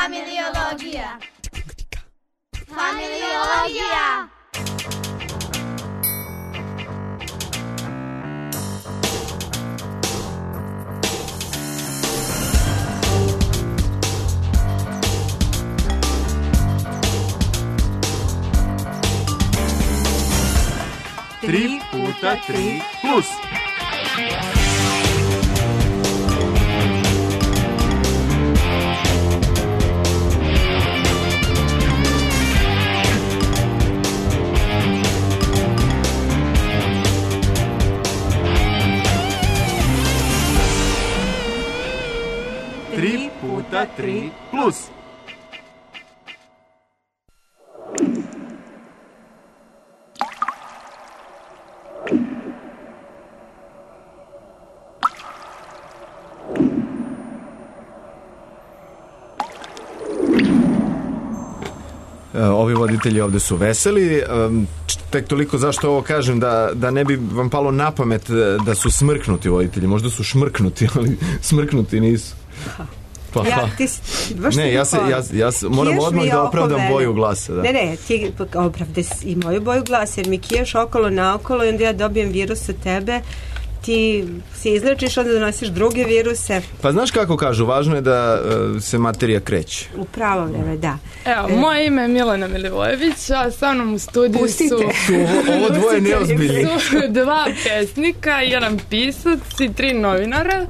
Familiologija. Familiologija. Tri puta tri plus. Tri puta tri plus. Ovi voditelji ovde su veseli. Tek toliko zašto ovo kažem, da ne bi vam palo na pamet da su smrknuti voditelji. Možda su šmrknuti, ali smrknuti nisu. Pa, ja moram odmah da opravdam boju glasa. Da. Ne, ti opravdaj i moju boju glasa, jer mi kiješ okolo naokolo i onda ja dobijem virus od tebe, ti se izlečiš, onda donosiš druge viruse. Pa znaš kako kažu, važno je da se materija kreće. U pravo vreme, da. Evo, moje ime je Milena Milivojević, a sa mnom u studiju su ovo dvoje neozbiljni. Dva pesnika, jedan pisac i 3 novinara.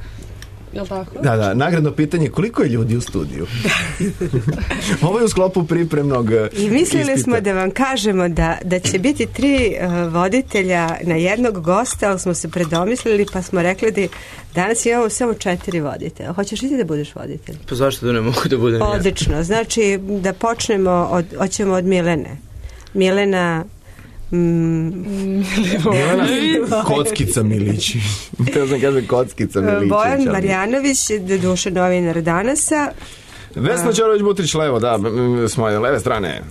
Jel' tako? Da, nagradno pitanje, koliko je ljudi u studiju? Ovo je u sklopu pripremnog i mislili ispita. Smo da vam kažemo da će biti 3 voditelja na jednog gosta, ali smo se predomislili pa smo rekli da danas imamo samo 4 voditelja. Hoćeš li ti da budeš voditelj? Pa zašto da ne mogu da budem ja? Odlično, znači da počnemo hoćemo od Milene. Milena Kockica Milić. Teo sam kažem Kockica Milić. Bojan Marjanović, doduše novinar Danasa. Vesna Ćorović-Butrić levo, da, s moje leve strane.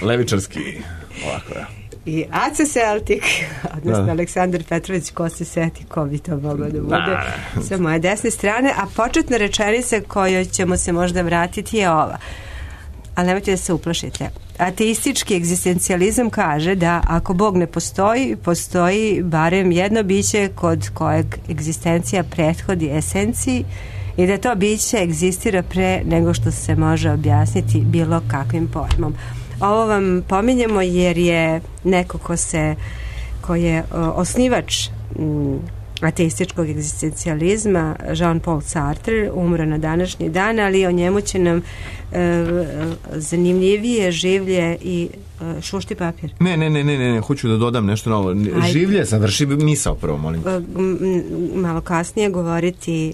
Levičarski. Ovako, ja. I Aca Celtik, odnosno Aleksandar Petrović, ko se seti, ko bi to moglo da bude sa moje desne strane. A početna rečenica kojoj ćemo se možda vratiti je ova. Ali nemojte da se uplašite. Ateistički egzistencijalizam kaže da ako Bog ne postoji, postoji barem jedno biće kod kojeg egzistencija prethodi esenciji i da to biće egzistira pre nego što se može objasniti bilo kakvim pojmom. Ovo vam pominjemo jer je neko ko je osnivač ateističkog egzistencijalizma, Jean-Paul Sartre, umro na današnji dan, ali o njemu će nam zanimljivije življe i šušti papir. Ne, hoću da dodam nešto novo. Življe, završi misao prvo, molim. Malo kasnije govoriti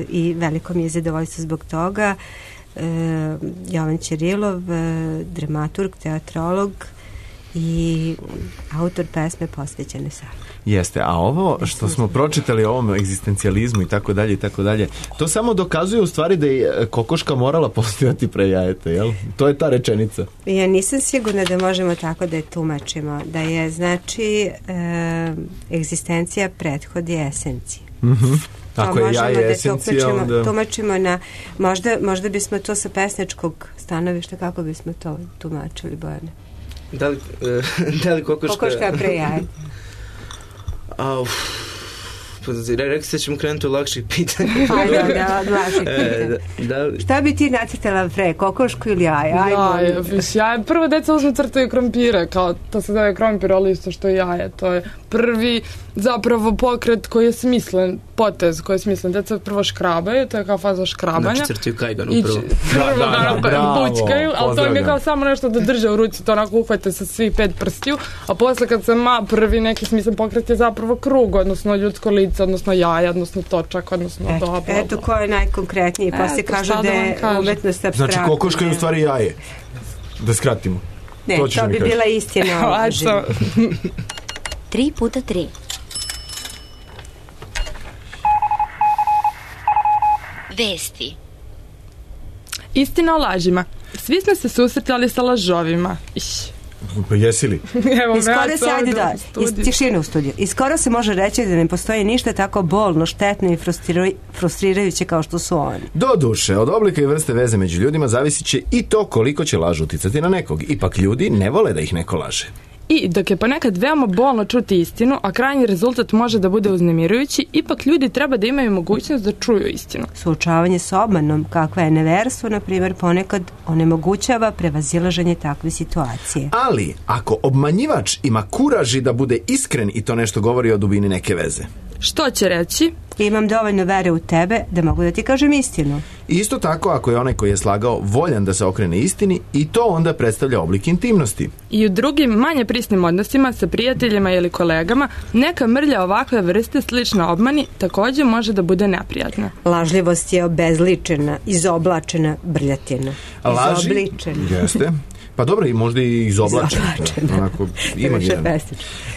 i veliko mi je zadovoljstvo zbog toga. Jovan Ćirilov, dramaturg, teatrolog i autor pesme posvećene Savi. Jeste, a ovo što smo pročitali o ovom egzistencijalizmu i tako dalje, to samo dokazuje u stvari da je kokoška morala postojati pre jajeta, jel? To je ta rečenica. Ja nisam sigurna da možemo tako da je tumačimo, da je, znači, egzistencija prethodi esenciji. Tako je jaje esencija, onda tumačimo na, možda bismo to sa pesničkog stanovišta, kako bismo to tumačili, Bojane? Da li kokoška je pre jaje? Rekli ste da ćemo krenuti od lakših pitanja. Od lakših pitanja. Šta bi ti nacrtala pre, kokošku ili jaje? Jaje. Prvo deca uzme crtaju krompire, kao to se zove krompir, ali isto što je jaje. To je prvi zapravo pokret koji je smislen, potez koji je smislen. Deca prvo škrabaju, to je kao faza škrabanja. Znači crtaju kajganu prvo. Bućkaju, ali to im je kao samo nešto da drže u ruci, to onako uhvate sa svih 5 prstiju, a posle kad se prvi neki smislen pokret je zapravo krug, odnosno ljudsko lice, odnosno jaja, odnosno točak, odnosno to. Eto ko je najkonkretniji, poslije kažu da je umetnost abstraktna. Znači kokoška je u stvari jaje. Da skratimo. Ne, to bi bila istina. 3 puta 3. Vesti. Istina o lažima. Svi smo se susretali sa lažovima. Pa jesi li? Evo, Iskoro se, ajde da, iz tišine u studiju. Iskoro se može reći da ne postoji ništa tako bolno, štetno i frustrirajuće kao što su oni. Doduše, od oblika i vrste veze među ljudima zavisit će i to koliko će laž uticati na nekog. Ipak ljudi ne vole da ih neko laže. I dok je ponekad veoma bolno čuti istinu, a krajnji rezultat može da bude uznemirujući, ipak ljudi treba da imaju mogućnost da čuju istinu. Suočavanje s obmanom, kakva je neverstvo, na primjer, ponekad onemogućava prevazilaženje takve situacije. Ali, ako obmanjivač ima kuraži da bude iskren i to nešto govori o dubini neke veze. Što će reći? Imam dovoljno vere u tebe da mogu da ti kažem istinu. Isto tako ako je onaj koji je slagao voljan da se okrene istini i to onda predstavlja oblik intimnosti. I u drugim, manje prisnim odnosima sa prijateljima ili kolegama, neka mrlja ovakve vrste slična obmani također može da bude neprijatna. Lažljivost je obezličena, izoblačena brljatina. Izobličena. Jeste. Pa dobro, i možda i izoblačena. Onako, imagirano.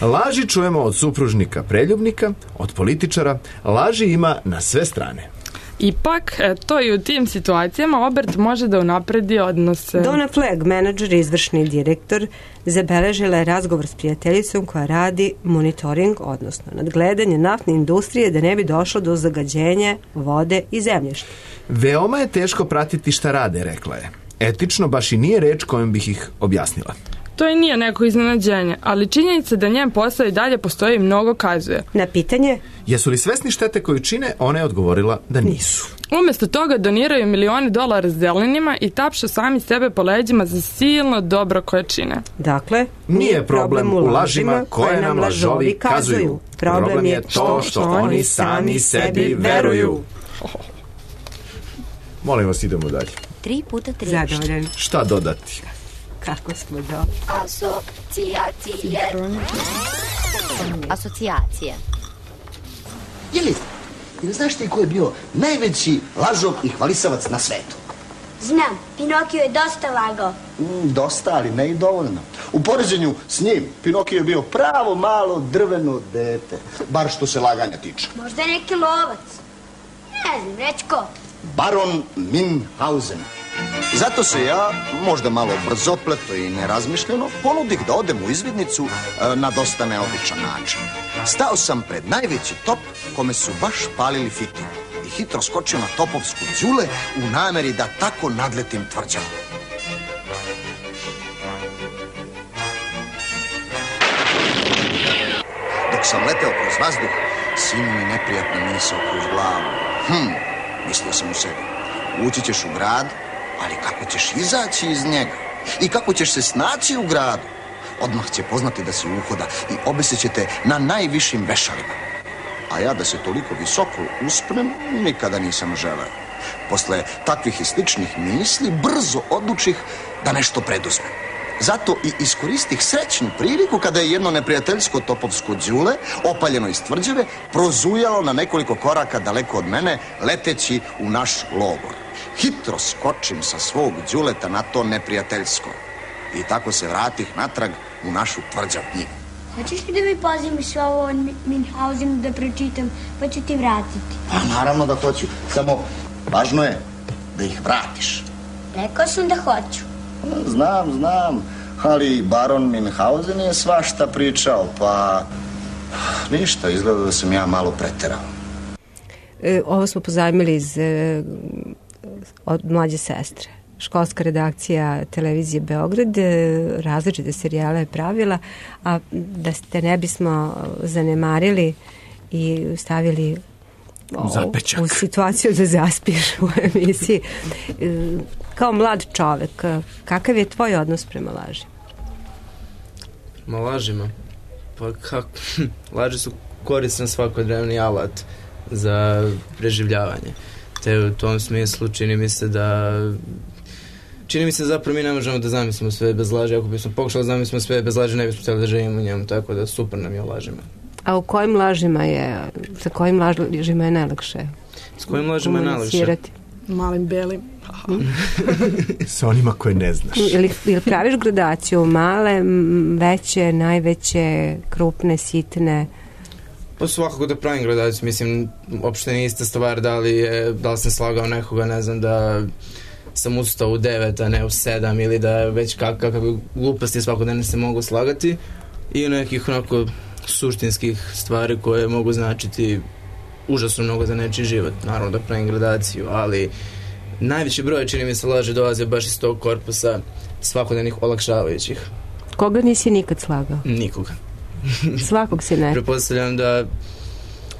Laži čujemo od supružnika preljubnika, od političara. Laži ima na sve strane. Ipak, to i u tim situacijama obrt može da unapredi odnose. Donna Flagg, menadžer i izvršni direktor, zabeležila je razgovor s prijateljicom koja radi monitoring, odnosno nadgledanje naftne industrije da ne bi došlo do zagađenja vode i zemljišta. Veoma je teško pratiti šta rade, rekla je. Etično baš i nije reč kojom bih ih objasnila. To i nije neko iznenađenje, ali činjenica da njen posao i dalje postoji mnogo kazuje. Na pitanje? Jesu li svesni štete koju čine? Ona je odgovorila da nisu. Umjesto toga doniraju milione dolara zelenima i tapšu sami sebe po leđima za silno dobro koje čine. Dakle, nije problem u lažima koje nam lažovi kazuju. Problem je to što oni sami sebi veruju. Molim vas, idemo dalje. 3 puta 3. Zadovoljan. Šta dodati? Kako smo Asocijacije. Jeli znaš ti ko je bio najveći lažov i hvalisavac na svetu? Znam, Pinokio je dosta lagao. Dosta, ali ne i dovoljno. U poređenju s njim, Pinokio je bio pravo malo drveno dete. Bar što se laganja tiče. Možda je neki lovac. Ne znam, reći ko? Baron Münchhausen. Zato se ja, možda malo brzopleto i nerazmišljeno, ponudih da odem u izvidnicu na dosta neobičan način. Stao sam pred najveći top kome su baš palili fitilj i hitro skočio na topovsku đule u nameri da tako nadletim tvrđavu. Dok sam leteo kroz vazduh, sinu mi neprijatna misao kroz glavu. Mislio sam u sebi, ući ćeš u grad, ali kako ćeš izaći iz njega? I kako ćeš se snaći u gradu? Odmah će poznati da si uhoda i obesit će te na najvišim vešalima. A ja da se toliko visoko uspnem, nikada nisam želeo. Posle takvih i sličnih misli, brzo odlučih da nešto preduzmem. Zato i iskoristih srećnu priliku kada je jedno neprijateljsko topovsko đule, opaljeno iz tvrđave, prozujalo na nekoliko koraka daleko od mene, leteći u naš logor. Hitro skočim sa svog đuleta na to neprijateljsko. I tako se vratih natrag u našu tvrđavnju. Hoćeš li da mi pozimiš sve ovo od Münchhausenu da pročitam, pa ću ti vratiti? Pa naravno da hoću, samo važno je da ih vratiš. Rekao sam da hoću. Znam, ali baron Münchhausen je svašta pričao, pa ništa, izgleda da sam ja malo preterao. Ovo smo pozajmili od mlađe sestre. Školska redakcija televizije Beograd različite serijale je pravila, a da ste ne bismo zanemarili i stavili u situaciju da zaspiš u emisiji. Kao mlad čovek, kakav je tvoj odnos prema lažima? Ma lažima? Pa kako? Laži su koristan svakodnevni alat za preživljavanje. Te u tom smislu čini mi se zapravo mi ne možemo da zamislimo sve bez laži. Ako bismo pokušali da zamislimo sve bez laži, ne bismo htjeli da živimo u njemu, tako da super nam je o lažima. A u kojim lažima sa kojim lažima je najlakše? S kojim lažima je najlakše? Malim belim. Sa onima koje ne znaš. Ili praviš gradaciju? Male, veće, najveće, krupne, sitne? Pa svakako da pravim gradaciju. Mislim, uopšte nije ista stvar da li sam slagao nekoga, ne znam, sam ustao u 9, a ne u 7, ili da već kakve gluposti svakodnevno se mogu slagati, i nekih onako suštinskih stvari koje mogu značiti užasno mnogo za nečiji život. Naravno da pravim gradaciju, ali najveći broj, čini mi se, laži dolaze baš iz tog korpusa svakodnevnih olakšavajućih. Koga nisi nikad slagao? Nikoga. Svakog si ne. Pretpostavljam da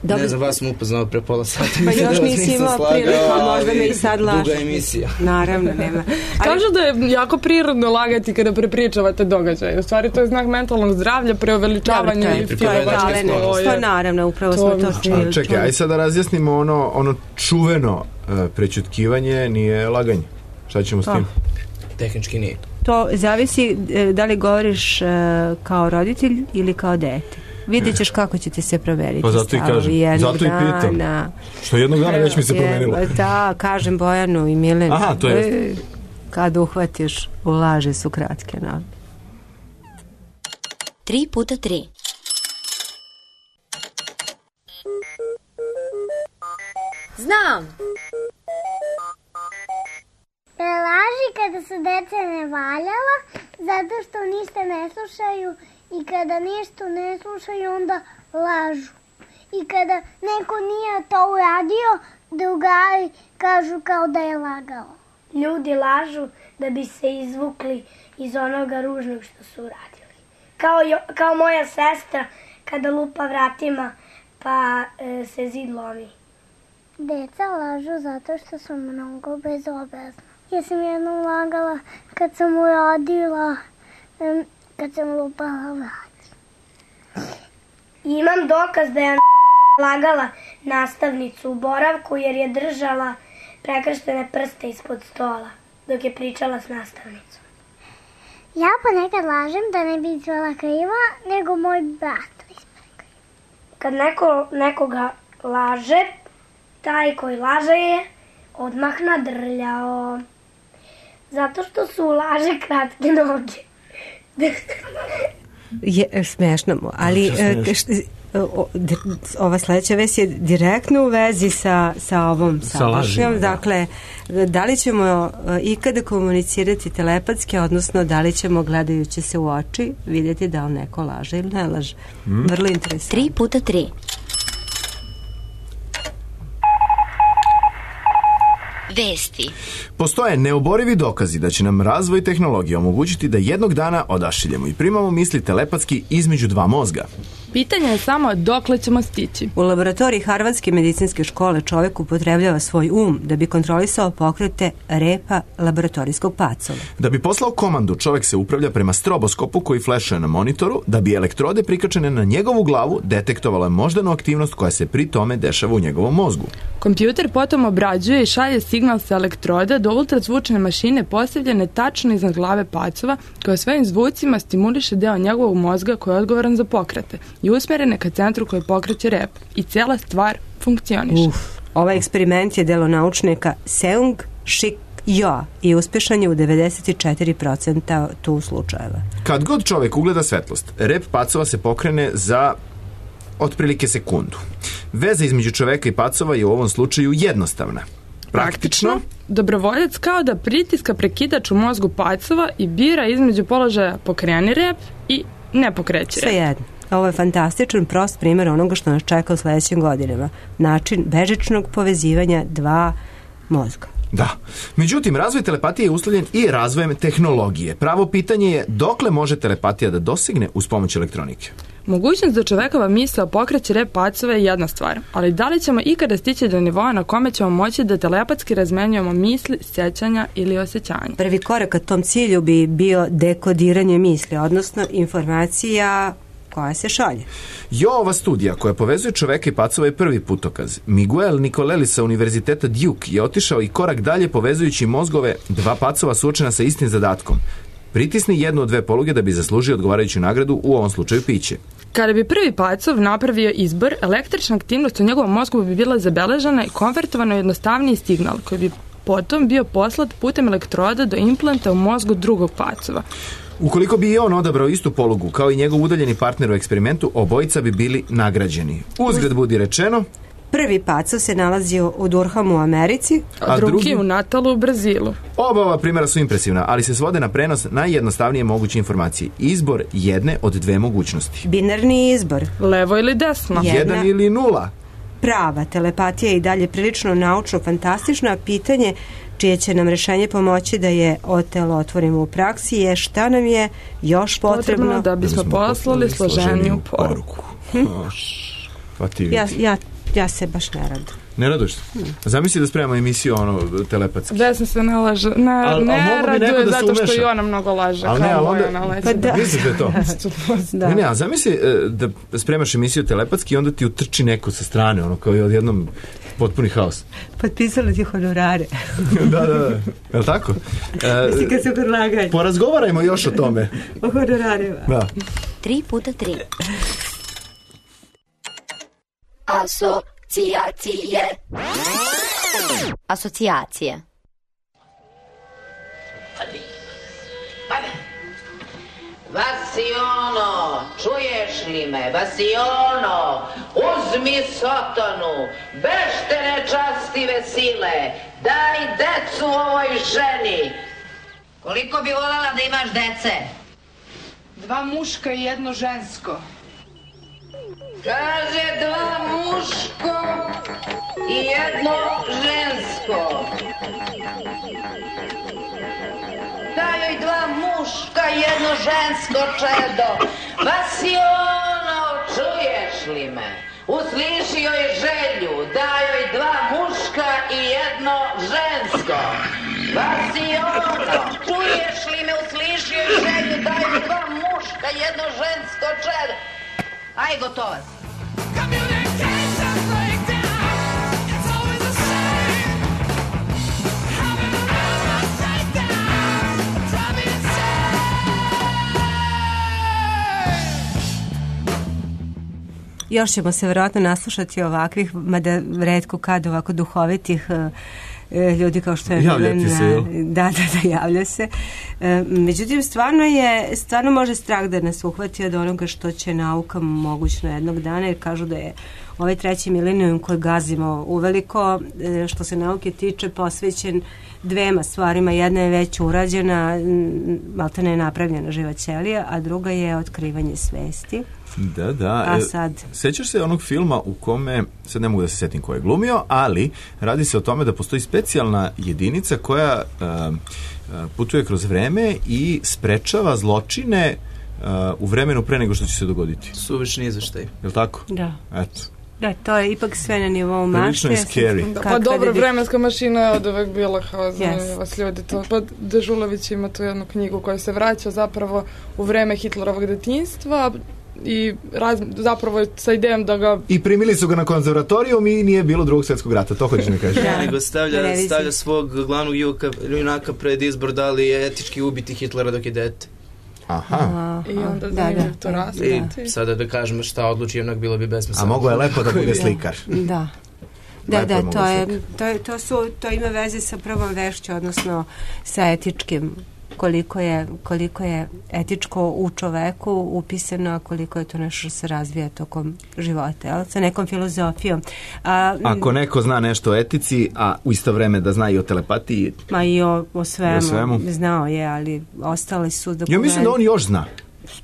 ne znam, vas sam upoznao pre pola sata. Pa još nisi imao priliku, možda me i sad lažeš. Duga emisija. Naravno, nema. Kažu da je jako prirodno lagati kada prepričavate događaje. U stvari to je znak mentalnog zdravlja, preuveličavanja i filozofije. To naravno, upravo smo to čuli. Čekaj, aj sad da razjasnimo ono čuveno prećutkivanje nije laganje. Šta ćemo s tim? Tehnički nije. To zavisi da li govoriš kao roditelj ili kao dete. Vidjet ćeš kako će ti se proveriti. Pa zato i kažem, zato i pitam. Što jednog dana već mi se promenilo. Da, kažem Bojanu i Milenu. Aha, to je. Kad uhvatiš, u laži su kratke noge. 3x3. Znam! Laži kada su deca ne valjala, zato što ništa ne slušaju, i kada nešto ne slušaju, onda lažu. I kada neko nije to uradio, drugari kažu kao da je lagao. Ljudi lažu da bi se izvukli iz onoga ružnog što su uradili. Kao moja sestra kada lupa vratima pa se zid lomi. Deca lažu zato što su mnogo bezobrazna. Ja sam jednom lagala kad sam uradila, kad sam lupala vrat. Imam dokaz da je lagala nastavnicu u boravku jer je držala prekrštene prste ispod stola dok je pričala s nastavnicom. Ja ponekad lažem da ne bi izvala kriva, nego moj brat ispred kriva. Kad nekoga laže, taj koji laže je odmah nadrljao. Zato što su u laže kratke noge. Je smešno, ali ova sledeća vest je direktno u vezi sa ovom sadašnjom. Dakle, da li ćemo ikada komunicirati telepatski, odnosno da li ćemo gledajući se u oči vidjeti da li neko laže ili ne laže. Vrlo interesantno. 3x3. Vesti. Postoje neoborivi dokazi da će nam razvoj tehnologije omogućiti da jednog dana odašiljemo i primamo misli telepatski između dva mozga. Pitanje je samo dokle ćemo stići. U laboratoriji Harvardske medicinske škole čovjek upotrebljava svoj da bi kontrolisao pokrete repa laboratorijskog pacova. Da bi poslao komandu, čovjek se upravlja prema stroboskopu koji flešuje na monitoru, da bi elektrode prikačene na njegovu glavu detektovala moždanu aktivnost koja se pri tome dešava u njegovom mozgu. Kompjuter potom obrađuje i šalje signal sa elektroda do ultrazvučne mašine postavljene tačno iznad glave pacova, koja svojim zvucima stimuliše deo njegovog mozga koji je odgovoran za pokrete i usmerene ka centru koji pokreće rep. I cijela stvar funkcioniše. Ovaj eksperiment je delo naučnika Seung Shik Jo i uspješan je u 94% tu slučajeva. Kad god čovjek ugleda svetlost, rep pacova se pokrene za otprilike sekundu. Veza između čoveka i pacova je u ovom slučaju jednostavna. Praktično, dobrovoljac kao da pritiska prekidač u mozgu pacova i bira između položaja pokreni rep i ne pokreći rep. Sve jedno. Ovo je fantastičan, prost primjer onoga što nas čeka u sljedećim godinama. Način bežičnog povezivanja dva mozga. Da. Međutim, razvoj telepatije je uslovljen i razvojem tehnologije. Pravo pitanje je dokle može telepatija da dosegne uz pomoć elektronike? Mogućnost da čovekova misao pokreće rep pacova je jedna stvar, ali da li ćemo ikada stići do nivoa na kome ćemo moći da telepatski razmenjujemo misli, sjećanja ili osjećanja? Prvi korak ka tom cilju bi bio dekodiranje misli, odnosno informacija koja se šalje. Ova studija koja povezuje čoveka i pacova je prvi putokaz. Miguel Nicoleli sa univerziteta Duke je otišao i korak dalje povezujući mozgove dva pacova suočena sa istim zadatkom. Pritisni jednu od dve poluge da bi zaslužio odgovarajuću nagradu, u ovom slučaju piće. Kada bi prvi pacov napravio izbor, električna aktivnost u njegovom mozgu bi bila zabeležena i konvertovana u jednostavniji signal koji bi potom bio poslat putem elektroda do implanta u mozgu drugog pacova. Ukoliko bi i on odabrao istu polugu kao i njegov udaljeni partner u eksperimentu, obojica bi bili nagrađeni. Uzgred budi rečeno, Prvi pacov se nalazi u Durhamu u Americi, a drugi u Natalu u Brazilu. Oba ova primjera su impresivna, ali se svode na prenos najjednostavnije moguće informacije. Izbor jedne od dve mogućnosti. Binarni izbor. Levo ili desno. 1 ili 0. Prava telepatija je i dalje prilično naučno fantastično, a pitanje čije će nam rešenje pomoći da je otelotvorimo u praksi je šta nam je još potrebno da bismo poslali složeniju poruku. Pa ti Ja se baš ne radujem. Ne raduš se? Zamisli da spremamo emisiju telepatski. Vesna se ne laže. Ne raduje zato što i ona mnogo laže. Ali ne, ali onda... Pa da. Misliš da je to? Da. Ne, a zamisli da spremaš emisiju telepatski i onda ti utrči neko sa strane, kao i odjednom potpuni haos. Potpisali ti honorare. Da. Je li tako? Mislim kad se predlagaju. Porazgovarajmo još o tome. O honorarima. Da. 3x3. Asocijacije. Vasiono, čuješ li me? Vasiono, uzmi sotonu, bešte nečastive sile, daj decu ovoj ženi. Koliko bi voljela da imaš dece? 2 muška i 1 žensko. Kaže 2 muško i 1 žensko. Daj joj 2 muška i 1 žensko, čedo. Vasiono, čuješ li me? Usliši joj želju, daj joj 2 muška i 1 žensko. Vasiono, čuješ li me? Usliši joj želju, daj joj 2 muška i 1 žensko, čedo. Aj, gotovo si. Još ćemo se vjerojatno naslušati ovakvih, mada retko kad ovako duhovitih ljudi kao što je javljati se, da, javlja se. Međutim, stvarno može strah da nas uhvati od onoga što će nauka mogućno jednog dana, jer kažu da je ovaj 3. milenijum koji gazimo uveliko, što se nauke tiče, posvećen 2 stvarima. Jedna je već urađena, maltene je napravljena živa ćelija, a druga je otkrivanje svesti. Da. A sad? Sećaš se onog filma u kome, sad ne mogu da se setim ko je glumio, ali radi se o tome da postoji specijalna jedinica koja putuje kroz vreme i sprečava zločine u vremenu pre nego što će se dogoditi. Suvišni izveštaj. Je li tako? Da. Eto. Da, to je ipak sve na nivou mašte. Prilično je scary. Pa dobro, vremenska mašina je od uvek bila kao vas ljudi. Pa Dežulović ima tu jednu knjigu koja se vraća zapravo u vreme Hitlerovog detinjstva i zapravo sa idejom da ga... I primili su ga na konzervatorijum i nije bilo Drugog svjetskog rata, to hoćeš mi kažeš. Nego stavlja svog glavnog junaka pred izbor da li je etički ubiti Hitlera dok je dete. Aha. I onda zanimljiv to raspiti. I sada da kažemo šta odluči, jednak bilo bi besmisleno. A mogo je lepo da bude slikar. Da, to ima veze sa prvom vešću, odnosno sa etičkim, koliko je etičko u čoveku upisano, a koliko je to nešto što se razvija tokom života, sa nekom filozofijom. Ako neko zna nešto o etici, a u isto vreme da zna i o telepatiji... Ma i o svemu. Znao je, ali ostali su dokumenti. Ja mislim da on još zna.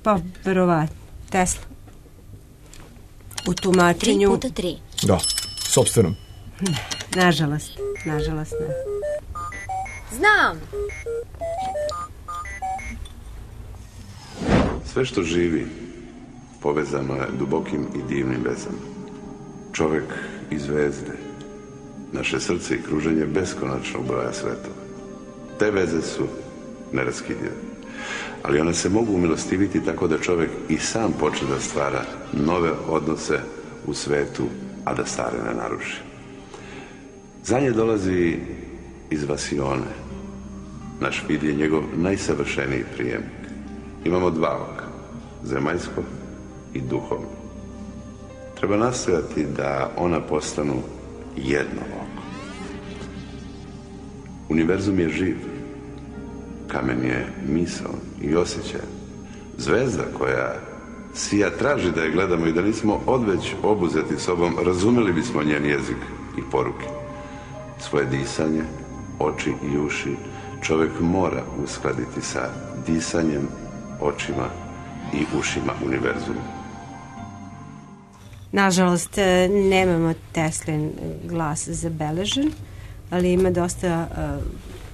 Pa, verovatno. Tesla. U tumačenju... 3x3. Da, sopstvenom. Nažalost ne. Znam. Sve što živi povezano je dubokim i divnim vezama. Čovek i zvezde, naše srce i kruženje beskonačnog broja svetova. Te veze su neraskidive, ali one se mogu umilostiviti tako da čovek i sam počne da stvara nove odnose u svetu, a da stare ne naruši. Za nje dolazi iz Vasione. Naš vid je njegov najsavršeniji prijemnik. Imamo 2 oka, zemaljsko i duhovno. Treba nastojati da ona postanu jedno oko. Univerzum je živ, kamen je misao i osjećaj. Zvezda koja Sija traži da je gledamo i da nismo odveć obuzeti sobom, razumeli bismo njen jezik i poruke. Svoje disanje, oči i uši čovjek mora uskladiti sa disanjem, očima i ušima univerzuma. Nažalost, nemamo Teslin glas zabeležen, ali ima dosta,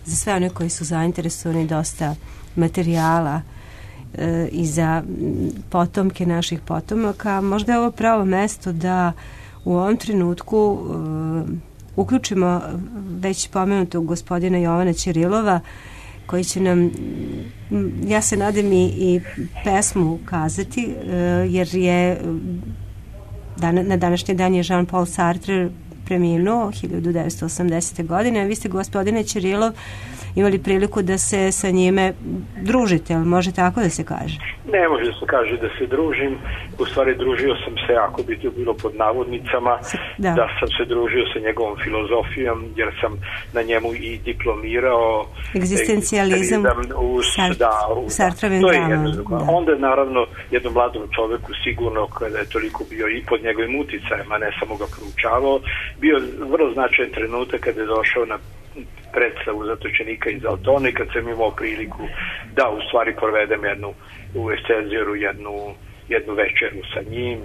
za sve one koji su zainteresovani, dosta materijala i za potomke naših potomaka. Možda je ovo pravo mesto da u ovom trenutku uključimo već pomenutog gospodina Jovana Ćirilova, koji će nam, ja se nadam, i pesmu kazati, jer je na današnji dan je Jean-Paul Sartre preminuo 1980. godine. Vi ste, gospodine Ćirilov, imali priliku da se sa njime družite, ali može tako da se kaže? Ne može da se kaže da se družim. U stvari družio sam se, ako bi to bilo pod navodnicama, da sam se družio sa njegovom filozofijom, jer sam na njemu i diplomirao. Egzistencijalizam u Sartrovim dramama. Onda naravno jednom mladom čoveku sigurno, kada je toliko bio i pod njegovim uticajem, a ne samo ga proučavao, bio vrlo značajan trenutak kada je došao na predstavu Zatočenika iz Altone, kad sam imao priliku da u stvari provedem u Excelsioru jednu večeru sa njim,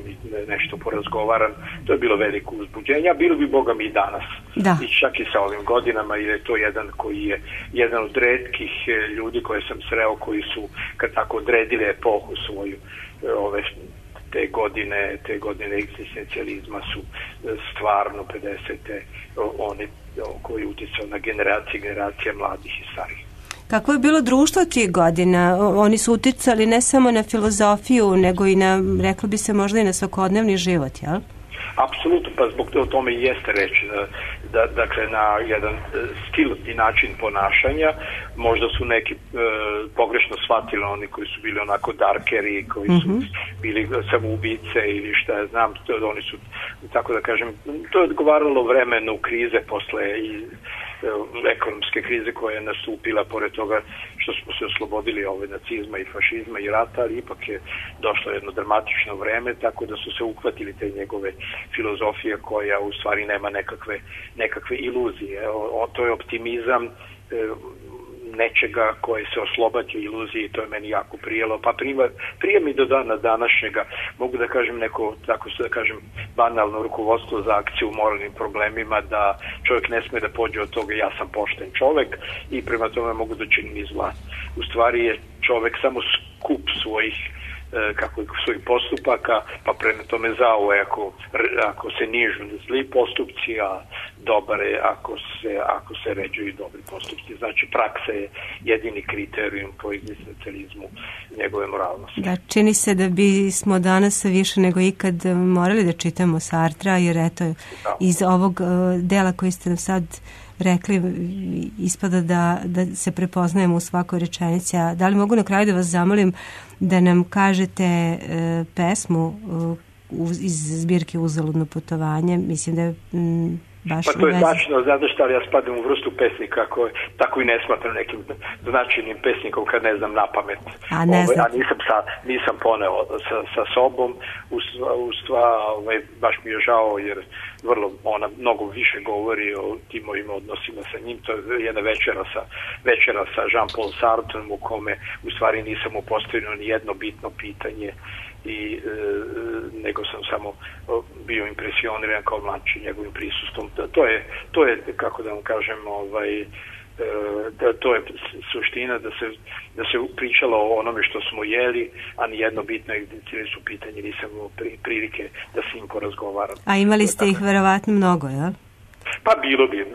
nešto porazgovaram. To je bilo veliko uzbuđenje, a bilo bi Boga mi i danas. Da. I čak i sa ovim godinama, jer je to jedan koji je jedan od retkih ljudi koje sam sreo, koji su kad tako odredili epohu svoju, te godine egzistencijalizma su stvarno 50. oni koji je uticao na generacije mladih i starih. Kako je bilo društvo tih godina? Oni su uticali ne samo na filozofiju, nego i na, reklo bi se, možda i na svakodnevni život, jel? Apsolutno, pa zbog tome i jeste reći dakle na jedan stil i način ponašanja. Možda su neki pogrešno shvatili, oni koji su bili onako darkeri, koji su bili samoubice ili šta ja znam, oni su, tako da kažem, to je odgovaralo vremenu krize posle i ekonomske krize koja je nastupila, pored toga što smo se oslobodili nacizma i fašizma i rata, ali ipak je došlo jedno dramatično vreme, tako da su se uhvatili te njegove filozofije koja u stvari nema nekakve iluzije. To je optimizam nečega koje se oslobađa iluzije i to je meni jako prijelo. Pa prije mi do dana današnjega, mogu da kažem neko, tako se da kažem, banalno rukovodstvo za akciju u moralnim problemima, da čovjek ne sme da pođe od toga ja sam pošten čovjek i prema tome mogu da činim i zla. U stvari je čovjek samo skup svojih svojih postupaka, pa prema tome zao je ako se nižu zli postupci, a dobar je ako se ređuju dobri postupci. Znači praksa je jedini kriterijum po egzistencijalizmu njegove moralnosti. Da, čini se da bismo danas više nego ikad morali da čitamo Sartra, jer eto, iz ovog dela koji ste nam sad rekli, ispada da se prepoznajemo u svakoj rečenici. Da li mogu na kraju da vas zamolim da nam kažete pesmu iz zbirke Uzaludno putovanje? Mislim da je baš pa to je tačno, znate šta, ali ja spadam u vrstu pesnika koje tako i ne smatram nekim značajnim pesnikom kad ne znam na pamet. A nisam poneo sa sobom. Baš mi je žao jer ona mnogo više govori o tim mojim odnosima sa njim. To je jedna večera sa Jean-Paul Sartreom u kome u stvari nisam mu postavio ni jedno bitno pitanje nego sam samo bio impresioniran kao mlađi njegovim prisustvom. To je kako da vam kažem, to je suština da se pričalo o onome što smo jeli, a nijedno bitno su pitanje nisam imao prilike da s njim porazgovaram. A imali ste ih verovatno mnogo, jel? Pa bilo bi,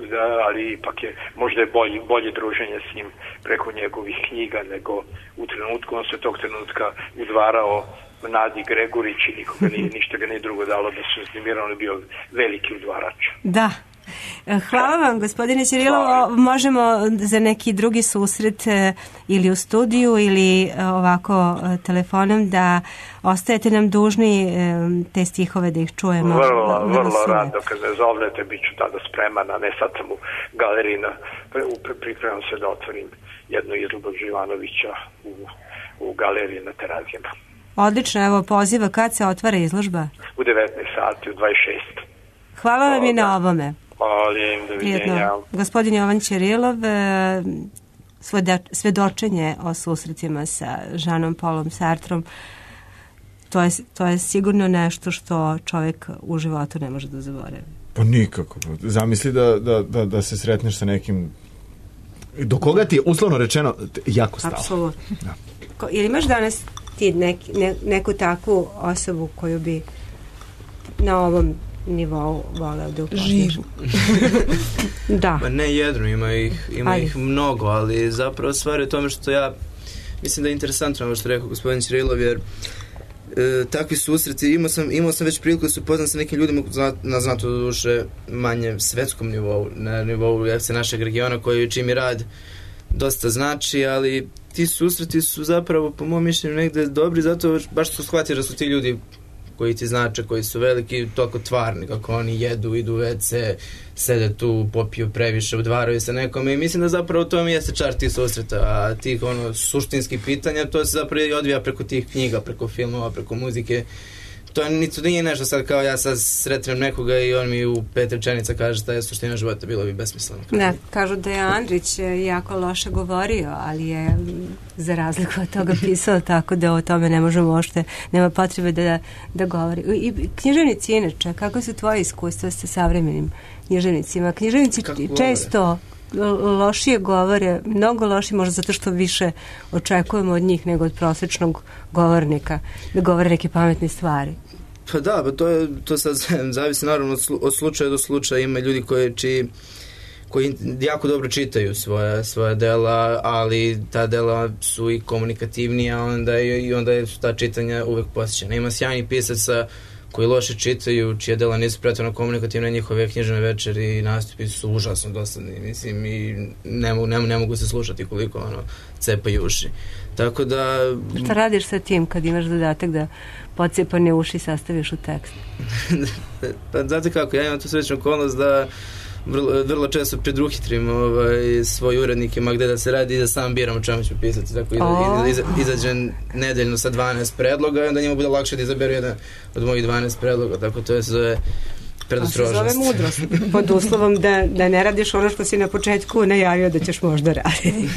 ali ipak je možda je bolje druženje s njim preko njegovih knjiga nego u trenutku. On se tog trenutka udvarao Nadi Gregorić i ništa ga nije drugo dalo da se uznemirao, on je bio veliki udvarač. Da. Hvala vam, gospodine Ćirilov. Možemo za neki drugi susret ili u studiju ili ovako telefonom da ostajete nam dužni te stihove da ih čujemo. Vrlo rado, kad me zovnete, bit ću tada spreman, a ne sad sam u galeriji, pripremam se da otvorim jedno izložbu Živanovića u galeriji na Terazijama. Odlično, evo poziva, kad se otvara izložba? U 19 sati, u 26. Hvala vam i na ovome. Molim, doviđenja. Gospodin Jovan Ćirilov, svedočenje o susretima sa Jeanom Paulom Sartrom, to je sigurno nešto što čovjek u životu ne može da zaboravi. Pa nikako. Zamisli da se sretneš sa nekim do koga ti je uslovno rečeno jako stalo. Apsolutno. Ili imaš danas ti neku takvu osobu koju bi na ovom nivou voleo da upoznaš? Živu. Da. Pa ne jedno, ima ih mnogo, ali zapravo stvar je u tome što ja mislim da je interesantno ovo što rekao gospodin Ćirilov, jer takvi susreti, imao sam već priliku da se upoznam sa nekim ljudima na znato duše manje svetskom nivou, na nivou našeg regiona koji čim i rad dosta znači, ali ti susreti su zapravo po mom mišljenju negde dobri, zato baš što shvatiš da su ti ljudi koji ti znače, koji su veliki, toliko tvarni, kako oni jedu, idu u WC, sede tu, popiju previše, odvaraju se nekome i mislim da zapravo to mi jeste čar tih susreta, a tih suštinskih pitanja, to se zapravo odvija preko tih knjiga, preko filmova, preko muzike. To nije nešto sad kao ja sad sretnem nekoga i on mi u 5 rečenica kaže šta je suština života, bilo bi besmisleno. Ne, kažu da je Andrić jako loše govorio, ali je za razliku od toga pisao, tako da o tome ne možemo uopšte, nema potrebe da govori. I književnici inače, kako su tvoje iskustva sa savremenim književnicima? Književnici često lošije govore, mnogo lošije, možda zato što više očekujemo od njih nego od prosječnog govornika da govore neke pametne stvari. Pa da, to sad zavisi naravno od slučaja do slučaja. Ima ljudi koji jako dobro čitaju svoja dela, ali ta dela su i komunikativnija, onda su ta čitanja uvek posjećena. Ima sjajnih pisaca koji loše čitaju, čije dela nisu pretjerano komunikativne, njihove književne večeri i nastupi su užasno dosadni, mislim, i ne mogu se slušati koliko cepaju uši. Tako da... Šta radiš sa tim kad imaš zadatak da pocepane uši sastaviš u tekst? Pa znate kako, ja imam tu srećnu okolnost da vrlo često predruhitrim svoj urednik, ima gde da se radi i da sam biram o čemu ću pisati, tako izađem nedeljno sa 12 predloga i onda njima bude lakše da izaberu jedan od mojih 12 predloga, tako to je zove predostrožnost. To se zove mudrost, pod uslovom da ne radiš ono što si na početku najavio da ćeš možda raditi.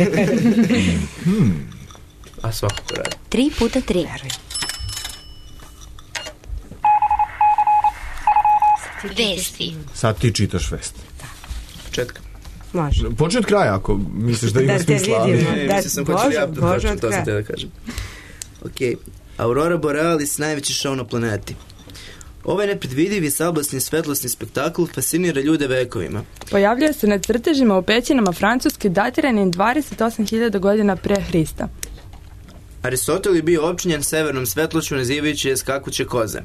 A svakako radi. 3x3. Vesti. Sad ti čitaš vesti. Početka. Može. Počne od kraja, ako misliš da ima smisla. Može od kraja. Da kažem. Ok. Aurora Borealis, najveći šou na planeti. Ovaj nepredvidivi sablesni svetlosni spektakl fascinira ljude vekovima. Pojavljuje se na crtežima u pećinama Francuske datiranim 28.000 godina pre Hrista. Aristotel je bio opčinjen severnom svetlošću nazivajući je skakuće koze.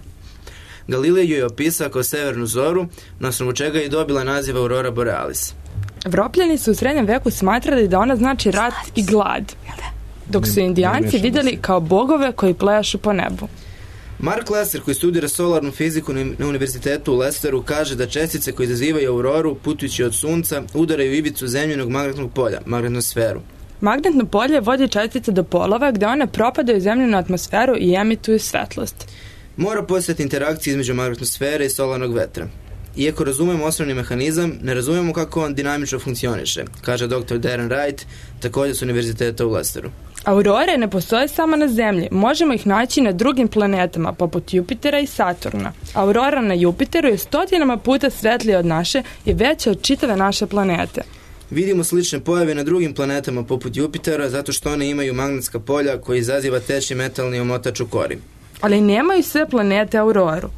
Galilej ju je opisao kao severnu zoru, na osnovu čega je dobila naziv Aurora Borealis. Evropljani su u srednjem veku smatrali da ona znači rat i glad, dok su indijanci vidjeli kao bogove koji plejašu po nebu. Mark Lesser, koji studira solarnu fiziku na univerzitetu u Leicesteru, kaže da čestice koje izazivaju auroru putujući od sunca udaraju ivicu zemljenog magnetnog polja, magnetnosferu. Magnetno polje vodi čestice do polova gde one propadaju u zemljenu atmosferu i emituju svetlost. Mora postojati interakcija između magnetnosfere i solarnog vetra. Iako razumemo osnovni mehanizam, ne razumemo kako on dinamično funkcioniše, kaže dr. Darren Wright, također s univerziteta u Leicesteru. Aurore ne postoje samo na Zemlji, možemo ih naći na drugim planetama, poput Jupitera i Saturna. Aurora na Jupiteru je 100 puta svetlija od naše i veća od čitave naše planete. Vidimo slične pojave na drugim planetama poput Jupitera zato što one imaju magnetska polja koji izaziva teći metalni omotač u kori. Ali nemaju sve planete auroru.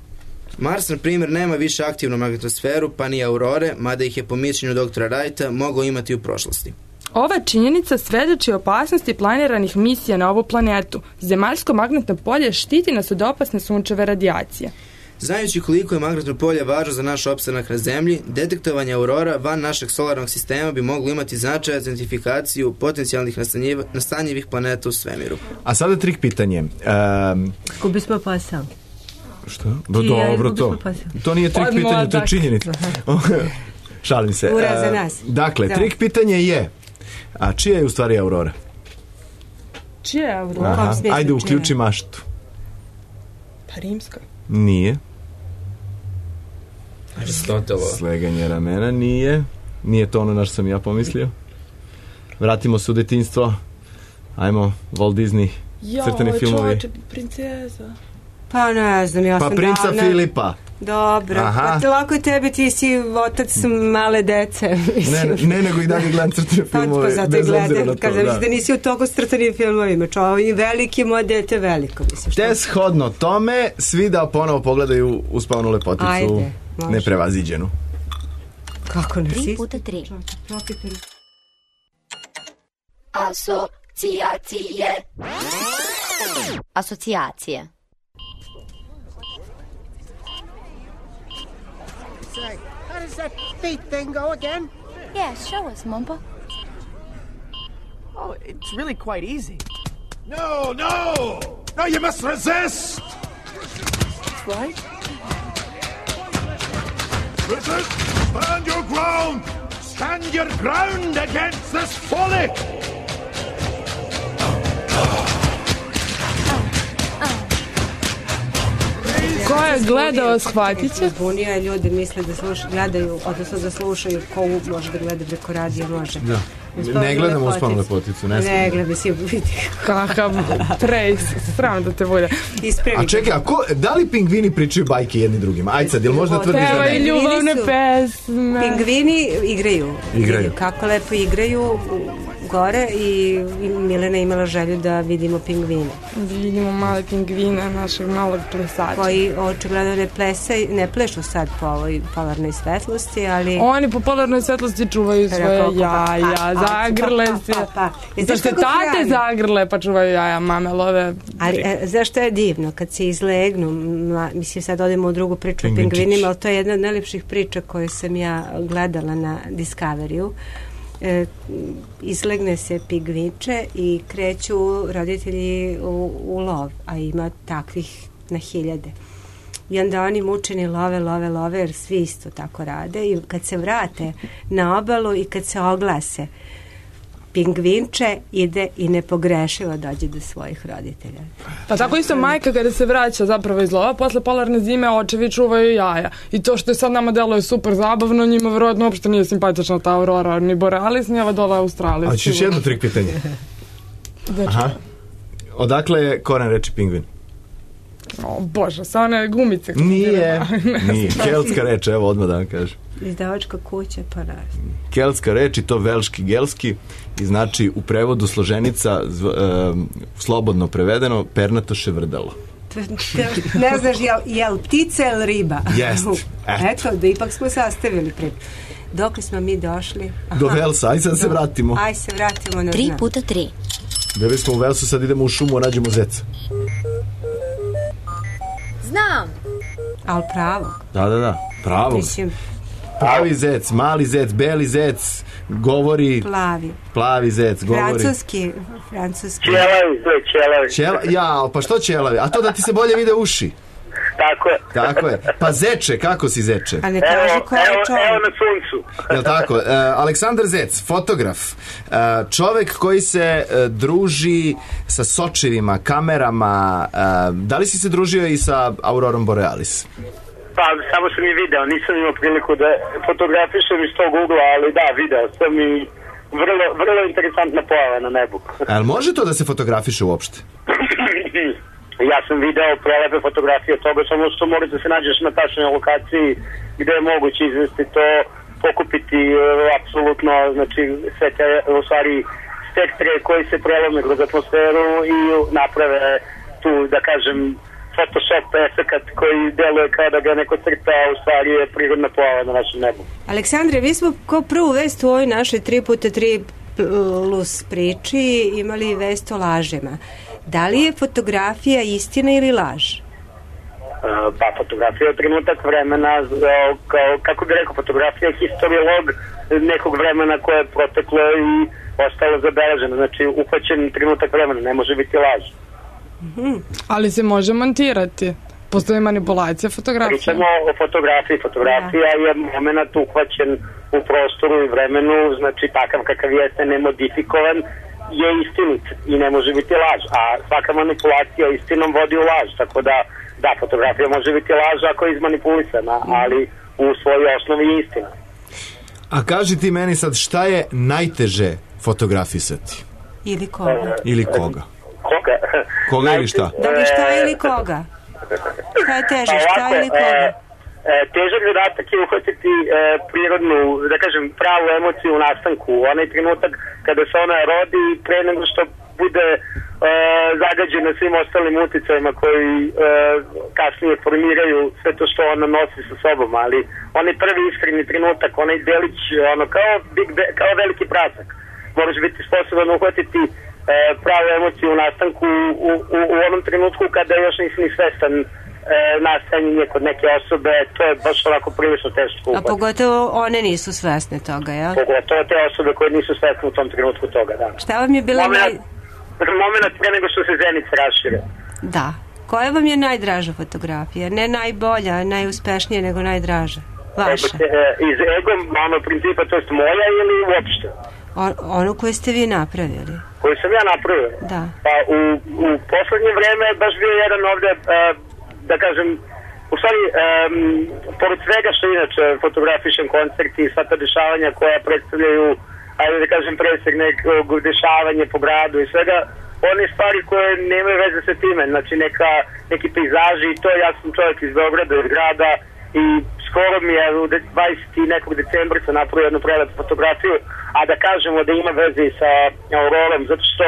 Mars, na primjer, nema više aktivnu magnetosferu, pa ni aurore, mada ih je po mišljenju doktora Wrighta mogao imati u prošlosti. Ova činjenica svedoči o opasnosti planiranih misija na ovu planetu. Zemaljsko magnetno polje štiti nas od opasne sunčeve radijacije. Znajući koliko je magnetno polje važno za naš opstanak na Zemlji, detektovanje aurora van našeg solarnog sistema bi moglo imati značaj za identifikaciju potencijalnih nastanjivih planeta u svemiru. A sada trik pitanje. Gubi smo posao. Što? Dobro to. To nije trik pitanje, to je činjenica. Šalim se. Ura za nas. Dakle, trik pitanje je, a čija je u stvari aurora? Čija je aurora? Ajde, uključi maštu. Pa rimska. Nije. Aristotelo. Sleganje ramena nije. Nije to ono na što sam ja pomislio. Vratimo se u detinjstvo. Ajmo, Walt Disney, crtani filmovi. Čoveče, princeza. Pa ne znam, ja sam Pa princa Filipa. Dobro, pa lako je tebi, ti si otac male dece. Ne, nego i dalje gledam crtane filmove. Pa zato i gledam, kada da nisi u toku s crtanim filmovima. I veliki moje dete veliko. Te shodno tome, svi da ponovo pogledaju Uspavanu lepoticu. Ajde, može. Neprevaziđenu. Kako ne? 3x3. Asocijacije. Say, how does that feet thing go again? Yeah, show us, Mumbo. Oh, it's really quite easy. No, you must resist! That's right. Resist! Stand your ground! Stand your ground against this folly! Ko je gledao, shvatit će. Zbunio je, ljudi misle da gledaju, odnosno da slušaju ko može da gleda preko radija, može. Da. Ne gledam Uspavanu lepoticu, ne smijem. Ne gledam, si vidi. Kakav trejs, sram da te bude. A čekaj, da li pingvini pričaju bajke jedni drugima? Ajde sad, jel možda tvrdiš da ne? Evo i ljubavne pesme. Pingvini igraju. Kako lepo igraju gore i Milena imala želju da vidimo pingvine. Vidimo male pingvine našeg malog plesača. Koji očigledno ne plešu sad po ovoj polarnoj svetlosti, ali... Oni po polarnoj svetlosti čuvaju svoje jaja, zagrle se. Zašto se tate zagrle pa čuvaju jaja, mame love. Ali zašto je divno kad se izlegnu, mislim sad odemo u drugu priču o pingvinima, ali to je jedna od najlepših priča koju sam ja gledala na Discoveryu. Izlegne se pingvinče i kreću roditelji u lov, a ima takvih na hiljade. I onda oni mučeni love, jer svi isto tako rade i kad se vrate na obalu i kad se oglase, pingvinče ide i nepogrešivo dođe do svojih roditelja. Pa tako isto majka kada se vraća zapravo iz lova, posle polarne zime očevi čuvaju jaja. I to što je sad nama deluje super zabavno, njima verovatno uopšte nije simpatična ta aurora, ni borealis, ni ova dole Australija. A ćeš jedno trik pitanje. Aha. Odakle je koren reči pingvin? O Bože, sa one gumice. Nije. Keltska reč, evo odmah da vam kažem. Izdavačka kuća, pa naravno. Keltska reč i to velški, gelski i znači u prevodu složenica slobodno prevedeno pernato ševrdalo. Ne znaš je li ptica ili riba? Jest. Eto, da ipak smo sastavili priču. Dok smo mi došli? Do Velsa, aj sad se vratimo. Aj se vratimo na 3x3. Bili smo u Velsu, sad idemo u šumu, nađemo zeca. Znam. Ali pravo. Da, pravo. Pravi zec, mali zec, beli zec, govori... Plavi zec, govori... Francuski. Čelavi. Ja, pa što čelavi? A to da ti se bolje vide uši. Tako je. Pa zeče, kako si zeče? A ne kaže ko je čovjek. Evo na suncu. Jel tako? Aleksandar Zec, fotograf, čovek koji se druži sa sočevima, kamerama. Da li si se družio i sa Aurorom Borealis? Pa, samo sam je video, nisam imao priliku da fotografišem iz tog ugla, ali da, video sam i vrlo interesantna pojava na nebu. Ali može to da se fotografiše uopšte? Ja sam video prelepe fotografije toga, samo što moraš da se nađeš na tačnoj lokaciji gde je moguće izvesti to, pokupiti apsolutno, znači sve te, u stvari, spektre koji se prelome kroz atmosferu i naprave tu, da kažem, Photoshop efekat koji deluje kao da ga neko crta, a u stvari je prirodna pojava na našem nebu. Aleksandre, vi smo kao prvu vest u ovoj našoj 3x3 plus priči imali vest o lažima. Da li je fotografija istina ili laž? Pa fotografija je trenutak vremena, kako bi rekao, fotografija je historiolog nekog vremena koje je proteklo i ostalo zabeleženo. Znači, uhvaćen trenutak vremena, ne može biti laž. Ali se može montirati. Postoji manipulacija fotografije. Pričamo o fotografiji. Fotografija je moment uhvaćen u prostoru i vremenu, znači takav kakav jeste, nemodifikovan, je istinit i ne može biti laž. A svaka manipulacija istinom vodi u laž, tako da Da, fotografija može biti laž ako je izmanipulisana, ali u svojoj osnovi je istina. A kaži ti meni sad, šta je najteže fotografisati? Ili koga? Ili koga? Koga? Koga ili šta? Dakle, šta ili koga? Šta je teže, šta ili koga? Težak zadatak je uhvatiti prirodnu, da kažem, pravu emociju u nastanku. Onaj trenutak kada se ona rodi pre nego što bude zagađena svim ostalim uticajima koji kasnije formiraju sve to što ona nosi sa sobom, ali onaj prvi iskreni trenutak, onaj delić, ono kao veliki prasak. Moraš biti sposoban uhvatiti pravu emociju u nastanku u onom trenutku kada još nisi ni svestan nastajanje kod neke osobe, to je baš onako prilično teško. A pogotovo one nisu svesne toga, jel? Pogotovo te osobe koje nisu svesne u tom trenutku toga, da. Šta vam je bila moment pre nego što se zenice rašire. Da. Koja vam je najdraža fotografija? Ne najbolja, najuspešnija, nego najdraža? Vaša? Iz ego, principa, to jest moja ili uopšte? Ono koje ste vi napravili. Koju sam ja napravio? Da. Pa u poslednje vreme baš bio jedan ovde, da kažem, u stvari, pored svega što inače fotografišem koncerti i sva ta dešavanja koja predstavljaju, ajde da kažem, presek nekog dešavanja po gradu i svega, one stvari koje nemaju veze sa time, znači neki pejzaži i to, ja sam čovjek iz Beograda, iz grada i skoro mi je u 20. nekog decembra sam napravio jednu prelepu fotografiju, a da kažemo da ima veze i sa aurorom, zato što